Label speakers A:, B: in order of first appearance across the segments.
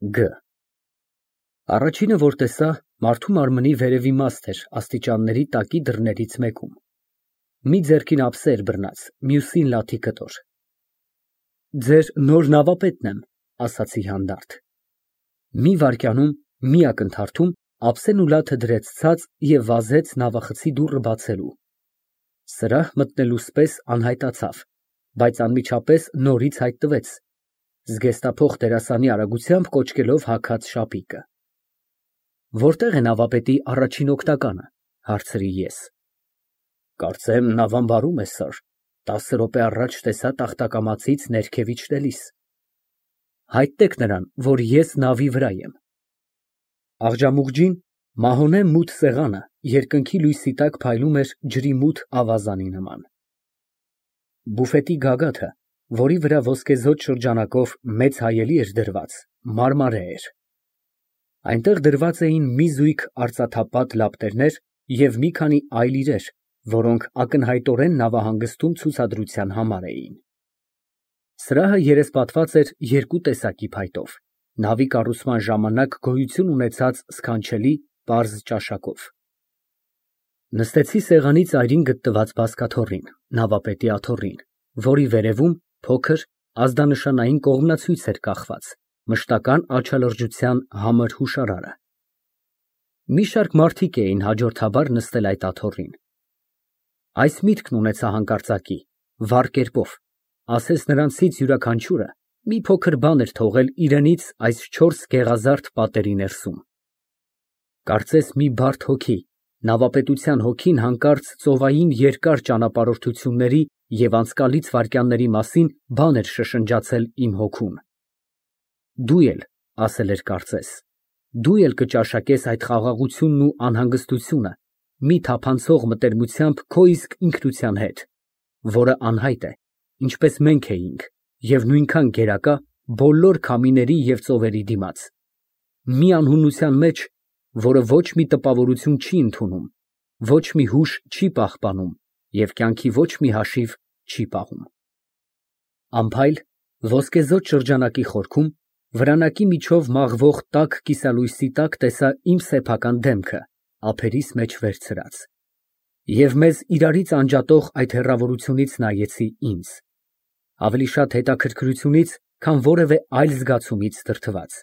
A: Գ. Առաջինը, որ տեսա, մարդու մարմնի վերև իմաստ էր աստիճանների տակի դռներից մեկում, մի ձեռքին ափսե էր բռնած, մյուսին լաթի կտոր։ Ձեր նոր նավապետն եմ, ասացի հանդարտ։ Մի վայրկյանում, մի ակնթարթում ափսեն ու լաթը դրեց ցած և վազեց նավախցի դուռը բացելու։ Սրահ մտնելուս պես անհայտացավ, բայց անմիջապես նորից հայտնվեց, զգեստափոխ դերասանի արագությամբ կոչկելով հագած շապիկը։ Որտե՞ղ է նավապետի առաջին օգնականը, հարցրի ես։ Կարծեմ նավամբարում է, սըր, 10 րոպե առաջ տեսա տախտակամածից ներքև իջնելիս։ Հայտնեք նրան, որ ես նավի վրա եմ։ Աղջամուղջին մահոնե մութ սեղանը երկնքի լույսի տակ փայլում էր ջրի մութ ավազանի նման։ Բուֆետի գագաթը, որի վրա ոսկեզօծ շրջանակով մեծ հայելի էր դրված, մարմարե էր։ Այնտեղ դրված էին մի զույգ արծաթապատ լապտերներ և մի քանի այլ իրեր, որոնք ակնհայտորեն նավահանգստում ցուցադրության համար էին։ Սրահը երեսպատված էր երկու տեսակի փայտով, նավի կառուցման ժամանակ գոյություն ունեցած սքանչելի, պարզ ճաշակով։ Նստեցի սեղանի ծայրին գտնված բազկաթոռին, նավապետի աթոռին, որի վերևում փոքր, ազդանշանային կողմնացույց էր կախված, մշտական աչալրջության համր հուշարարը։ Մի շարք մարդիկ էին հաջորդաբար նստել այդ աթոռին։ Այս միտքն ունեցա հանկարծակի, վառ կերպով, ասես նրանցից յուրաքանչյուրը մի փոքր բան էր թողել իրենից այս 4 գեղազարդ պատերի ներսում։ Կարծես մի բարդ հոգի, նավապետության հոգին հանկարծ ծովային երկար ճանապարհորդությունների և անցկալից վայրկյանների մասին բան էր շշնջացել իմ հոգուն։ Դու էլ, ասել էր կարծես, դու էլ կճաշակես այդ խաղաղությունն ու անհանգստությունը մի թափանցող մտերմությամբ քո իսկ ինքնության հետ, որը անհայտ է, ինչպես մենք էինք, և նույնքան գերակա բոլոր քամիների և ծովերի դիմաց, մի անհունության մեջ, որը ոչ մի տպավորություն չի ընդունում, ոչ մի հուշ չի պահպանում և կյանքի ոչ մի հաշիվ չի պահում։ Անփայլ, ոսկեզօծ շրջանակի խորքում, վրանակի միջով մաղվող տաք կիսալույսի տակ տեսա իմ սեփական դեմքը, ափերիս մեջ վերցրած, և մեզ իրարից անջատող այդ հեռավորությունից նայեցի ինձ, ավելի շատ հետաքրքրությունից, քան որևէ այլ զգացումից դրդված,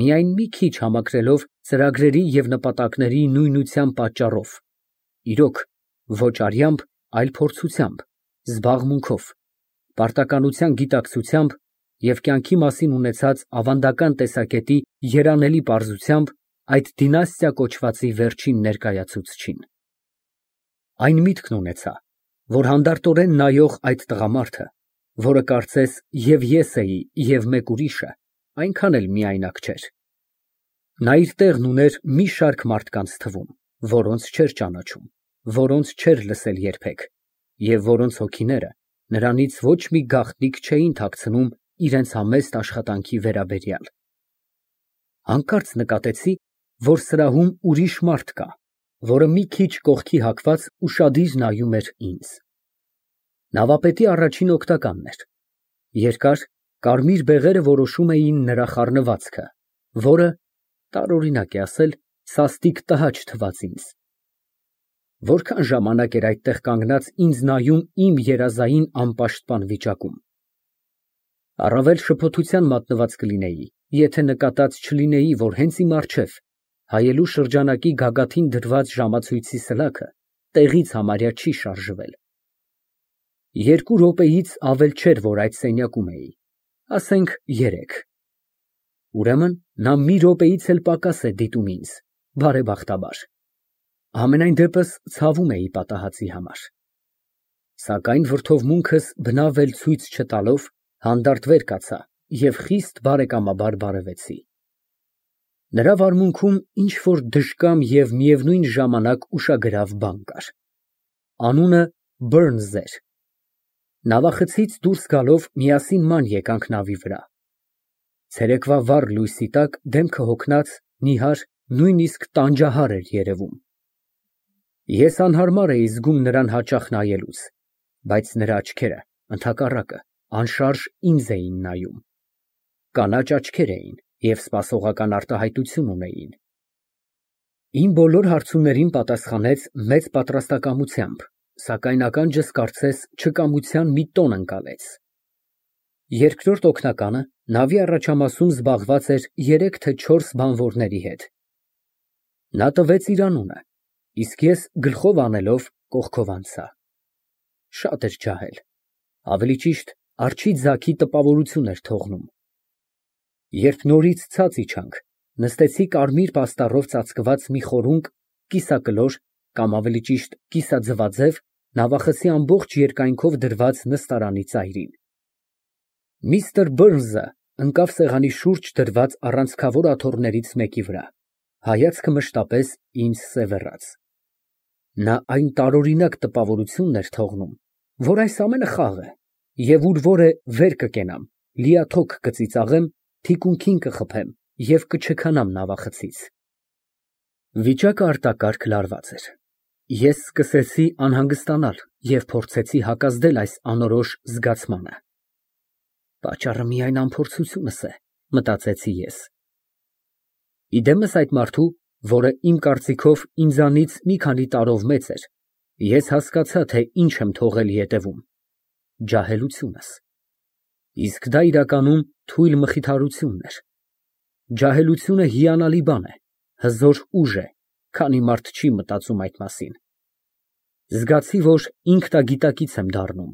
A: միայն մի քիչ համակրելով ծրագրերի և նպատակների նույնության պատճառով, իրոք, ոչ արյամբ, այլ փորձությամբ, զբաղմունքով, պարտականության գիտակցությամբ և կյանքի մասին ունեցած ավանդական տեսակետի երանելի պարզությամբ այդ դինաստիա կոչվածի վերջին ներկայացուցչին։ Այն միտքն ունեցա, որ հանդարտորեն նայող այդ տղամարդը, որը կարծես և ես էի, և մեկ ուրիշը, այնքան էլ միայնակ չէր։ Նա իր տեղն ուներ մի շարք մարդկանց թվում, որոնց չէր ճանաչում, որոնց չէր լսել երբեք, և որոնց հոգիները նրանից ոչ մի գաղտնիք չէին թաքցնում իրենց համեստ աշխատանքի վերաբերյալ։ Հանկարծ նկատեցի, որ սրահում ուրիշ մարդ կա, որը մի քիչ կողքի հագված ուշադիր նայում էր ինձ։ Նավապետի առաջին օգնականն էր։ Երկար, կարմիր բեղերը որոշում էին նրա խառնվածքը, որը, տարօրինակ է ասել, սաստիկ տհաճ թվաց ինձ։ Որքան ժամանակ էր այդտեղ կանգնած ինձ նայում իմ երազային անպաշտպան վիճակում։ Առավել շփոթության մատնված կլինեի, եթե նկատած չլինեի, որ հենց իմ առջև, հայելու շրջանակի գագաթին դրված ժամացույցի սլաքը տեղից համարյա չի շարժվել։ 2 րոպեից ավել չէր, որ այդ սենյակում էի, ասենք 3։ Ուրեմն նա մի րոպեից էլ պակաս է դիտում ինձ, բարեբախտաբար։ Համենայն դեպս ցավում էի պատահածի համար։ Սակայն վրդովմունքս բնավ էլ ցույց չտալով, հանդարտ վեր կացա և խիստ բարեկամաբար բարևեցի։ Նրա վարմունքում ինչ֊որ դժկամ և միևնույն ժամանակ ուշագրավ բան կար։ Անունը Բըրնզ էր։ Նավախցից դուրս գալով միասին ման եկանք նավի վրա։ Ցերեկվա վառ լույսի տակ դեմքը հոգնած, նիհար, նույնիսկ տանջահար էր երևում։ Ես անհարմար էի զգում նրան հաճախ նայելուց, բայց նրա աչքերը, ընդհակառակը, անշարժ ինձ էին նայում։ Կանաչ աչքեր էին և սպասողական արտահայտություն ունեին։ Իմ բոլոր հարցումներին պատասխանեց մեծ պատրաստակամությամբ, սակայն ականջս կարծես չկամության մի տոն ընկալեց։ Երկրորդ օգնականը նավի առաջամասում զբաղված էր 3 թե 4 բանվորների հետ։ Նա տվեց իր անունը, իսկ ես գլխով անելով կողքով անցա։ Շատ էր ջահել, ավելի ճիշտ արջի ձագի տպավորություն էր թողնում։ Երբ նորից ցած իջանք, նստեցի կարմիր պաստառով ծածկված մի խորունկ, կիսակլոր կամ ավելի ճիշտ կիսաձվաձև նավախցի ամբողջ երկայնքով դրված նստարանի ծայրին։ Միստր Բըրնսը ընկավ սեղանի շուրջ դրված առանցքավոր աթոռներից մեկի վրա, հայացքը մշտապես ինձ սևեռաց։ Նա այն տարօրինակ տպավորությունն էր թողնում, որ այս ամենը խաղ է, և ուր որ է վեր կկենամ, լիաթոք կծիծաղեմ, թիկունքին կխփեմ և կչքանամ նավախցից։ Վիճակը արտակարգ լարված էր։ Ես սկսեցի անհանգստանալ և փորձեցի հակազդել այս անորոշ զգացմանը։ Պատճառը միայն անփորձությունս է, մտածեցի ես։ Իդեմս այդ մարդու, որը իմ կարծիքով ինձանից մի քանի տարով մեծ էր, ես հասկացա, թե ինչ եմ թողել ետևում։ Ջահելությունս։ Իսկ դա իրականում թույլ մխիթարությունն էր։ Ջահելությունը հիանալի բան է, հզոր ուժ է, քանի մարդ չի մտածում այդ մասին։ Զգացի, որ ինքնագիտակից եմ դառնում,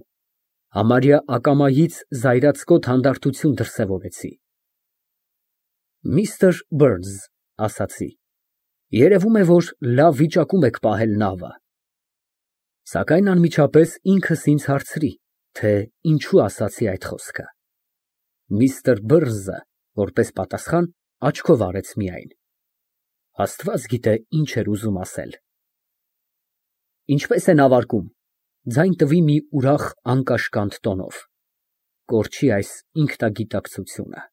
A: համարյա ակամայից զայրացկոտ հանդարտություն դրսևորեցի։ Միստր Բըրնս, ասացի, երևում է, որ լավ վիճակում եք պահել նավը։ Սակայն անմիջապես ինքս ինձ հարցրի, թե ինչու ասացի այդ խոսքը։ Միստր Բըրնսը, որպես պատասխան, աչքով արեց միայն։ Աստված գիտե ինչ էր ուզում ասել։ Ինչպե՞ս է նավարկում, ձայն տվի մի ուրախ անկաշկանդ տոնով։ Կորչի այս ինքնագիտակցությունը։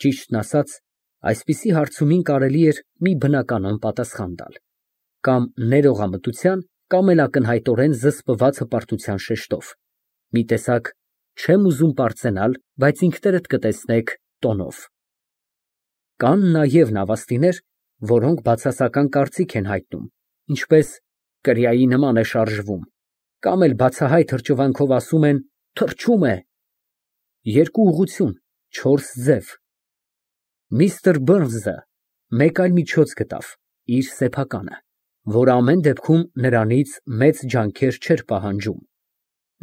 A: Ճիշտն ասած, այսպիսի հարցումին կարելի էր մի բնական պատասխան տալ, կամ ներողամտության, կամ էլ ակնհայտորեն զսպված հպարտության շեշտով, մի տեսակ չեմ ուզում պարծենալ, բայց ինքներդ կտեսնեք տոնով։ Կան նաև նավաստիներ, որոնք բացասական կարծիք են հայտնում, ինչպես կրիայի նման է շարժվում, կամ էլ բացահայտ հրճվանքով ասում են թռչում է։ Երկու ուղղություն, 4 ձև։ Միստր Բըրնսը մեկ այլ միջոց գտավ, իր սեփականը, որը ամեն դեպքում նրանից մեծ ջանքեր չէր պահանջում։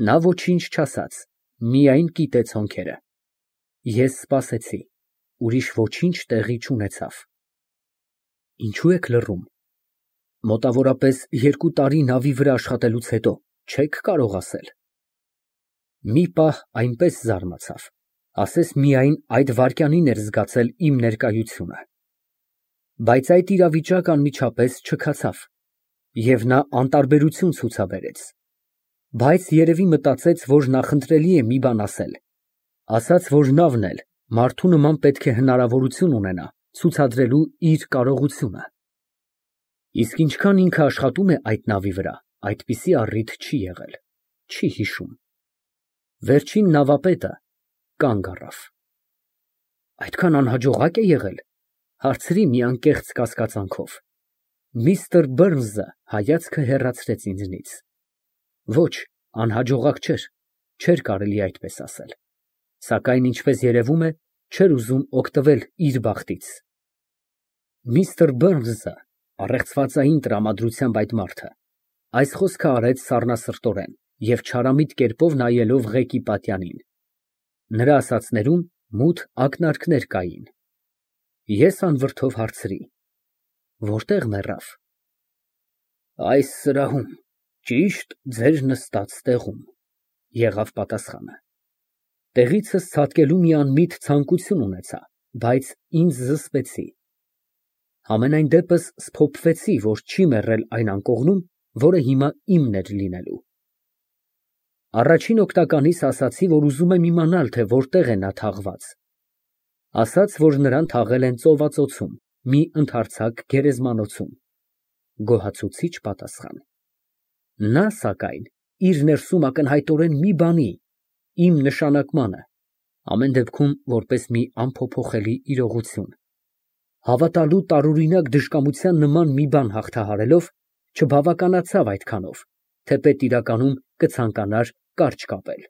A: Նա ոչինչ չասաց, միայն կիտեց հոնքերը։ Ես սպասեցի, ուրիշ ոչինչ տեղի չունեցավ։ Ինչո՞ւ եք լռում։ Մոտավորապես 2 տարի նավի վրա աշխատելուց հետո չեք կարող ասել։ Մի պահ այնպես զարմացավ, ասես միայն այդ վայրկյանին էր զգացել իմ ներկայությունը։ Բայց այդ իրավիճակը անմիջապես չքացավ, և նա անտարբերություն ցուցաբերեց։ Բայց երևի մտածեց, որ նախընտրելի է մի բան ասել, ասաց, որ նավն էլ մարդու նման պետք է հնարավորություն ունենա ցուցադրելու իր կարողությունը։ Իսկ ինչքան ինքը աշխատում է այդ նավի վրա, այդպիսի առիթ չի եղել, չի հիշում։ Վերջին նավապետը կանգ առավ։ Այդքան անհաջողա՞կ է եղել, հարցրի մի անկեղծ կասկածանքով։ Միստր Բըրնսը հայացքը հեռացրեց ինձնից։ Ոչ, անհաջողակ չէր, չէր կարելի այդպես ասել, սակայն ինչպես երևում է, չէր ուզում օգտվել իր բախտից։ Միստր Բըրնսը, առեղծվածային տրամադրությամբ այդ մարդը, այս խոսքը արեց սառնասրտորեն և չարամիտ կերպով նայելով ղեկի պատյանին։ Նրա ասածներում մութ ակնարկներ կային։ Ես անվրդով հարցրի. Որտե՞ղ մեռավ։ Այս սրահում, ճիշտ ձեր նստած տեղում, եղավ պատասխանը։ Տեղիցս ցատկելու մի անմիտ ցանկություն ունեցա, բայց ինձ զսպեցի։ Համենայն դեպս սփոփվեցի, որ չի մեռել այն անկողնում, որը հիմա իմն էր լինելու։ Առաջին օգնականիս ասացի, որ ուզում եմ իմանալ, թե որտեղ է նա թաղված։ Ասաց, որ նրան թաղել են ծովածոցում, մի ընդարձակ գերեզմանոցում։ Գոհացուցիչ պատասխան։ Նա, սակայն, իր ներսում ակնհայտորեն մի բանի, իմ նշանակմանը, Ամեն դեպքում որպես մի անփոփոխելի իրողություն։ Հավատալու տարօրինակ դժկամության նման մի բան հաղթահարելով, չբավականացավ այդքանով, թեպետ իրականում կցանկանար կարճ կապել։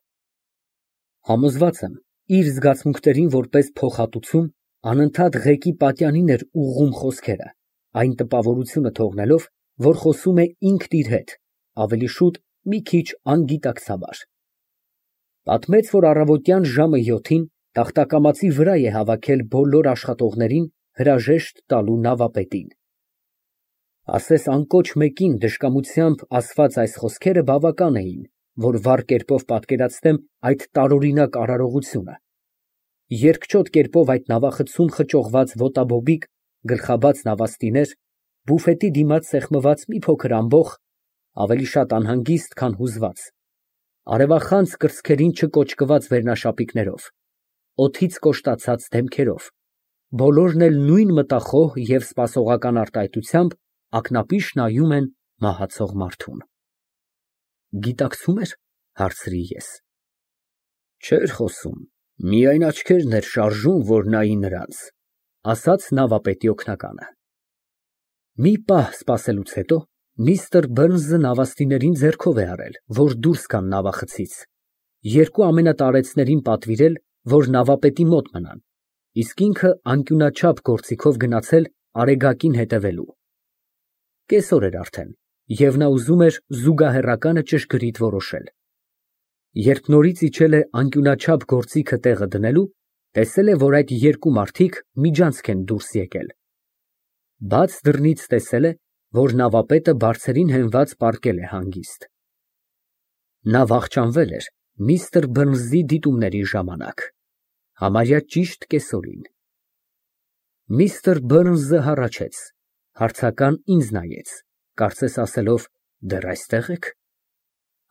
A: Համոզված եմ, իր զգացմունքներին որպես փոխհատուցում, անընդհատ ղեկի պատյանին էր ուղղում խոսքերը, այն տպավորությունը թողնելով, որ խոսում է ինքն իր հետ, ավելի շուտ մի քիչ անգիտակցաբար։ Պատմեց, որ առավոտյան ժամը 7-ին տախտակամածի վրա է հավաքել բոլոր աշխատողներին հրաժեշտ տալու նավապետին։ Ասես անկոչ մեկին դժկամությամբ ասված այս խոսքերը բավական էին, որ վառ կերպով պատկերացնեմ այդ տարօրինակ արարողությունը։ Երկչոտ կերպով այդ նավախցում խճողված ոտաբոբիկ, գլխաբաց նավաստիներ, բուֆետի դիմաց սեղմված մի փոքր ամբոխ, ավելի շատ անհանգիստ, քան հուզված, արևախանձ կրծքերին չկոճկված վերնաշապիկներով, օդից կոշտացած դեմքերով, բոլորն էլ նույն մտախոհ և սպասողական արտահայտությամբ ակնապիշ նայում են մահացող մարդուն։ Գիտակցո՞ւմ էր, հարցրի ես։ Չէր խոսում, միայն աչքերն էր շարժում, որ նայի նրանց, ասաց նավապետի օգնականը։ Մի պահ սպասելուց հետո միստր Բըրնսը նավաստիներին ձեռքով է արել, որ դուրս գան նավախցից, երկու ամենատարեցներին պատվիրել, որ նավապետի մոտ մնան, իսկ ինքը անկյունաչափ գործիքով գնացել Արեգակին հետևելու։ Կեսօր էր արդեն, և նա ուզում էր զուգահեռականը ճշգրիտ որոշել։ Երբ նորից իջել է անկյունաչափ գործիքը տեղը դնելու, տեսել է, որ այդ երկու մարդիկ միջանցք են դուրս եկել։ Բաց դռնից տեսել է, որ նավապետը բարձերին հենված պառկել է հանգիստ։ Նա վախճանվել էր միստր Բըրնսի դիտումների ժամանակ, համարյա ճիշտ կեսօրին։ Միստր Բըրնսը հառաչեց, հարցական ինձ նայեց, կարծես ասելով. «Դեռ այստե՞ղ եք»։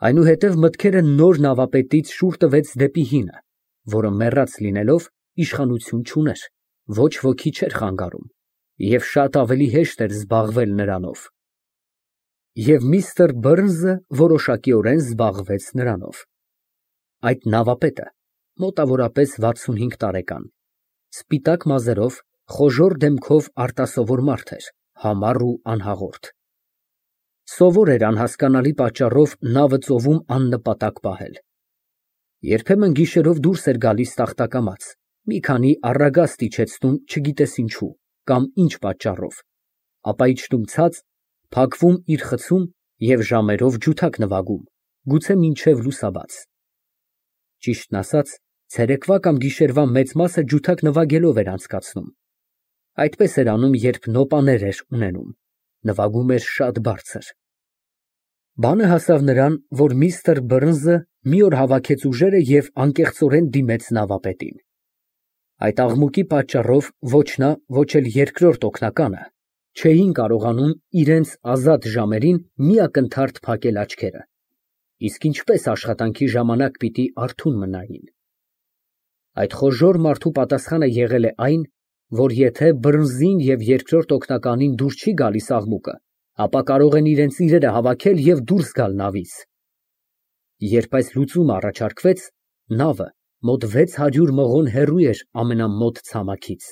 A: Այնուհետև մտքերը նոր նավապետից շուռ տվեց դեպի հինը, որը մեռած լինելով, իշխանություն չուներ, ոչ ոքի չէր խանգարում, և շատ ավելի հեշտ էր զբաղվել նրանով։ Եվ միստր Բըրնսը որոշակիորեն զբաղվեց նրանով։ Այդ նավապետը, մոտավորապես 65 տարեկան, սպիտակ մազերով, խոժոռ դեմքով արտասովոր մարդ էր, համառ ու անհաղորդ։ Սովոր էր անհասկանալի պատճառով նավը ծովում աննպատակ պահել։ Երբեմն գիշերով դուրս էր գալիս տախտակամաց, մի քանի առագաստ իջեցնում չգիտես ինչու, կամ ինչ պատճառով, ապա իջնում ցած, փակվում իր խցում և ժամերով ջութակ նվագում, գուցե մինչև լուսաբաց։ Ճիշտն ասած, ցերեկվա կամ գիշերվա մեծ մասը ջութակ նվագելով էր անցկացնում։ Այդպես էր անում, երբ նոպաներ էր ունենում, նվագում էր շատ բարձր։ Բանը հասավ նրան, որ միստր Բըրնսը մի օր հավաքեց ուժերը և անկեղծորեն դիմեց նավապետին։ Այդ աղմուկի պատճառով ոչ նա, ոչ էլ երկրորդ օգնականը չէին կարողանում իրենց ազատ ժամերին մի ակնթարթ փակել աչքերը, իսկ ինչպես աշխատանքի ժամանակ պիտի արթուն մնային։ Այդ խոժոռ մարդու պատասխանը եղել է այն, որ եթե Բըրնսին և երկրորդ օգնականին դուր չի գալիս աղմուկը, ապա կարող են իրենց իրերը հավաքել և դուրս գալ նավից։ Երբ այս լուծումը առաջարկվեց, նավը մոտ 600 մղոն հեռու էր ամենամոտ ցամաքից։